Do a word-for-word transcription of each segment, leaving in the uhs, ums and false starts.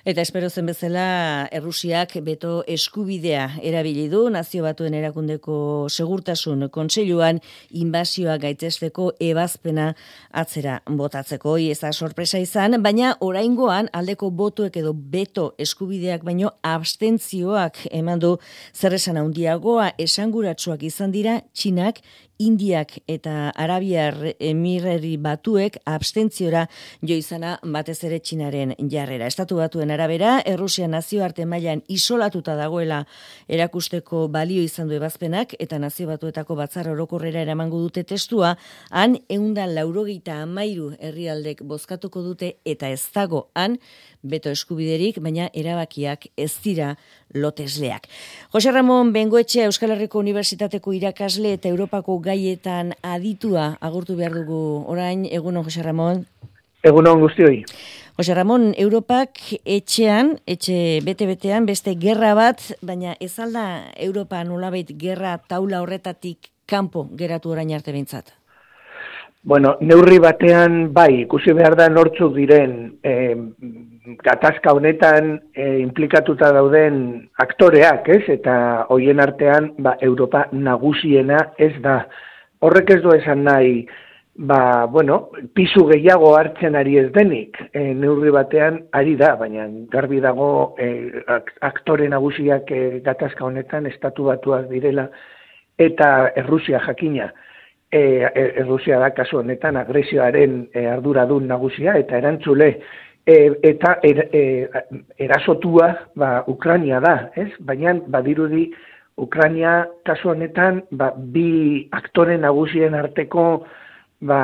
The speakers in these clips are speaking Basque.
Eta espero zen bezala, Errusiak beto eskubidea erabili du Nazio Batuen Erakundeko Segurtasun Kontseiluan inbasioa gaitzesteko ebazpena atzera botatzeko. Hori ez da sorpresa izan, baina oraingoan aldeko botuek edo beto eskubideak baino abstentzioak eman du zer esan handiagoa esanguratsuak izan dira Txinak, Indiak eta Arabiar Emirerri Batuek abstentziora jo izana batez ere Txinaren jarrera. Estatu Batuen arabera, Errusia nazioarte mailan isolatuta dagoela erakusteko balio izan du ebazpenak eta Nazio Batuetako batzar orokorrera eramango dute testua, han ehun eta laurogeita hamairu herrialdek bozkatuko dute eta ez dago han beto eskubiderik, baina erabakiak ez dira lotesleak. Jose Ramon Bengoetxea Euskal Herriko Unibertsitateko irakasle eta Europako gaietan aditua agurtu behar dugu orain. Egunon, Jose Ramon. Egunon guztioi. Jose Ramon, Europak etxean, etxe bete-betean, beste gerra bat, baina ez alda Europa nolabait gerra taula horretatik kanpo geratu orain arte behintzat? Bueno, neurri batean bai, ikusi behar da nortzuk diren eh, gatazka honetan eh, implikatuta dauden aktoreak, ez? Eta hoien artean ba, Europa nagusiena ez da. Horrek ez du esan nahi, ba, bueno, pisu gehiago hartzen ari ez denik, e, neurri batean ari da, baina garbi dago e, aktore nagusiak e, gatazka honetan Estatu Batuak direla eta Errusia jakina. E, Errusia da kasu honetan agresioaren e, arduradun nagusia eta erantzule e, eta er, e, erasotua ba, Ukraina da, ez? Baina badirudi Ukraina kasu honetan ba, bi aktore nagusien arteko ba,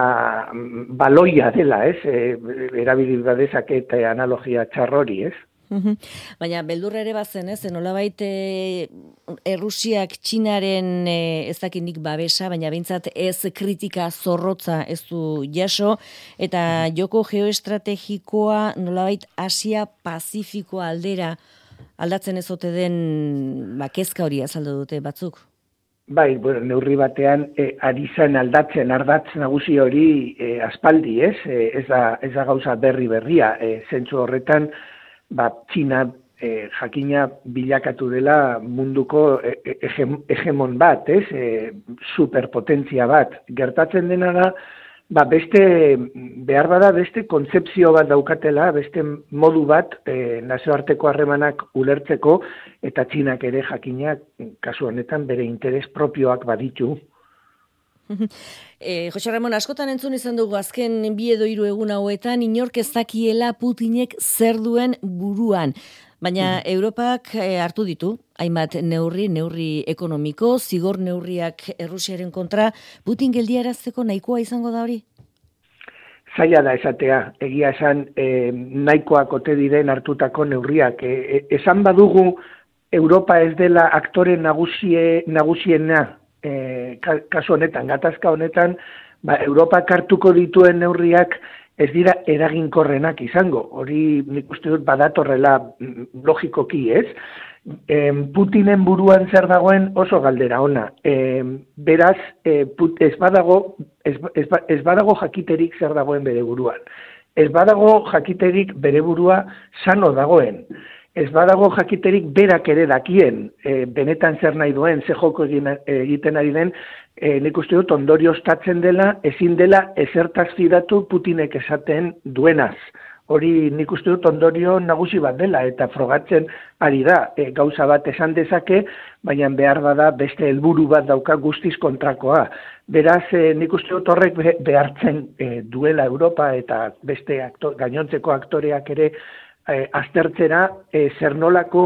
baloia dela, ez? E, erabili badezake eta analogia txarrori, ez? Baina beldurra ere bazen, ez? Nolabait e, Errusiak Txinaren e, ez dakinik babesa, baina behintzat ez kritika zorrotza ez du jaso, eta joko geoestrategikoa nolabait Asia Pazifiko aldera aldatzen ez ote den ba, kezka hori azaldu dute batzuk? Bai, bueno, neurri batean e, ari zen aldatzen ardatz nagusi hori e, aspaldi, ez? E, ez, da, ez da gauza berri berria. E, zentzu horretan, ba, Txina e, jakina bilakatu dela munduko e, e, hegemon bat, ez? E, superpotentzia bat. Gertatzen dena da, ba, beste, behar bada beste kontzepzio bat daukatela, beste modu bat e, nazioarteko harremanak ulertzeko, eta Txinak ere jakinak, kasu honetan, bere interes propioak baditu. E, Jose Ramon, askotan entzun izan dugu azken bi edo hiru egun hauetan, inork ez dakiela Putinek zer duen buruan. Baina Europak e, hartu ditu, hainbat neurri, neurri ekonomiko, zigor neurriak Errusiaren kontra, Putin geldiarazteko nahikoa izango da hori? Zaila da esatea, egia esan e, nahikoak ote diren hartutako neurriak. E, e, esan badugu Europa ez dela aktore nagusie, nagusiena, e, kasu honetan, gatazka honetan, ba, Europak hartuko dituen neurriak ez dira eraginkorrenak izango. Hori nik uste dut badatorrela logikoki, ez? E, Putinen buruan zer dagoen oso galdera ona. E, beraz, e, put, ez, badago, ez, ez, ez badago jakiterik zer dagoen bere buruan. Ez badago jakiterik bere burua sano dagoen. Ez badago jakiterik berak ere dakien, e, benetan zer nahi duen, ze joko egin, egiten ari den, e, nik uste dut ondorioztatzen dela, ezin dela ezertaz fidatu Putinek esaten duenaz. Hori nik uste dut ondorio nagusi bat dela, eta frogatzen ari da, e, gauza bat esan dezake, baina behar bada beste helburu bat dauka guztiz kontrakoa. Beraz, e, nik uste dut horrek behartzen e, duela Europa eta beste aktor, gainontzeko aktoreak ere E, aztertzera e, zer nolako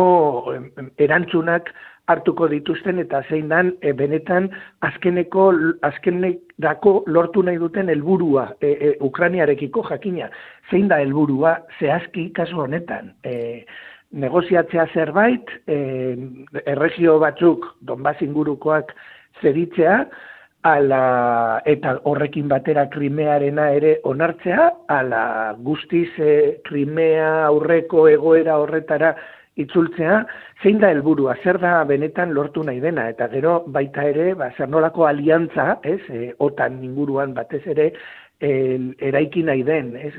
erantzunak hartuko dituzten eta zein dan e, benetan azkeneko azkenerako lortu nahi duten helburua e, e, Ukrainiarekiko jakina. Zein da helburua zehazki kasu honetan? E, negoziatzea zerbait, e, erregio batzuk Donbas ingurukoak zeritzea, ala, eta horrekin batera Krimearena ere onartzea, ala guztiz e, Krimea aurreko egoera horretara itzultzea, zein da helburua, zer da benetan lortu nahi dena, eta gero baita ere, ba, zer nolako aliantza, ez, e, OTAN inguruan batez ere, eraiki nahi den. Ez?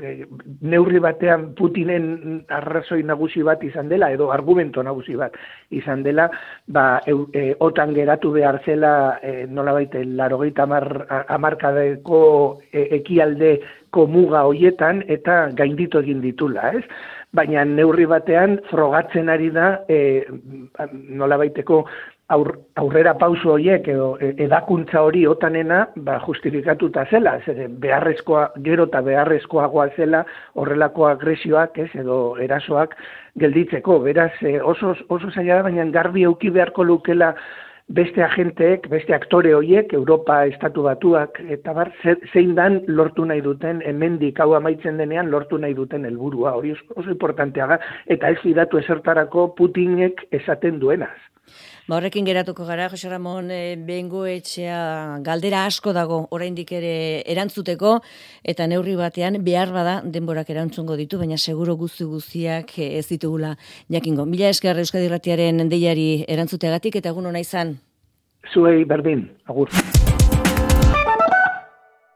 Neurri batean Putinen arrazoi nagusi bat izan dela, edo argumento nagusi bat izan dela, ba, e, otan geratu behar zela e, nolabait laurogeita hamarkadeko e, ekialdeko muga hoietan eta gainditu egin ditula, ez? Baina neurri batean frogatzen ari da e, nolabaiteko aur, aurrera pauso horiek edo edakuntza hori otanena ba, justifikatuta zela, zer, beharrezkoa, gero eta beharrezkoagoa zela horrelako agresioak ez, edo erasoak gelditzeko. Beraz, oso, oso zaila da, baina garbi euki beharko lukela beste agenteek, beste aktore horiek, Europa, Estatu Batuak, eta bar, zein dan lortu nahi duten, hemendik hau amaitzen denean lortu nahi duten helburua, hori oso importantea da, eta ez fidatu ezertarako Putinek esaten duenaz. Ba, horrekin geratuko gara, Jose Ramon e, Bengoetxea, galdera asko dago oraindik ere erantzuteko, eta neurri batean behar bada denborak erantzungo ditu, baina seguro guzti guztiak ez ditugula jakingo. Mila esker Euskadi Irratiaren deiari erantzuteagatik, eta egun ona izan. Zuei berdin, agur.